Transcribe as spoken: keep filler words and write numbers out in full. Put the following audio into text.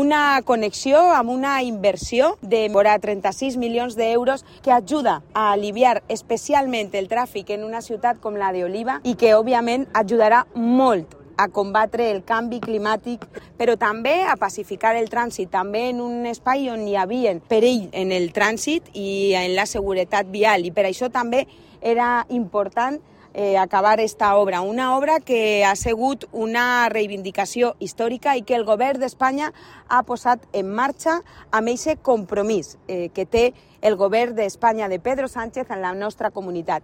una connexió, amb una inversió de vora trenta-sis milions d'euros que ajuda a aliviar especialment el tràfic en una ciutat com la d'Oliva i que, òbviament, ajudarà molt a combatre el canvi climàtic, però també a pacificar el trànsit, també en un espai on hi havia perill en el trànsit i en la seguretat vial. I per això també era important eh, acabar esta obra, una obra que ha sigut una reivindicació històrica i que el govern d'Espanya ha posat en marxa amb aquest compromís eh, que té el govern d'Espanya de Pedro Sánchez en la nostra comunitat.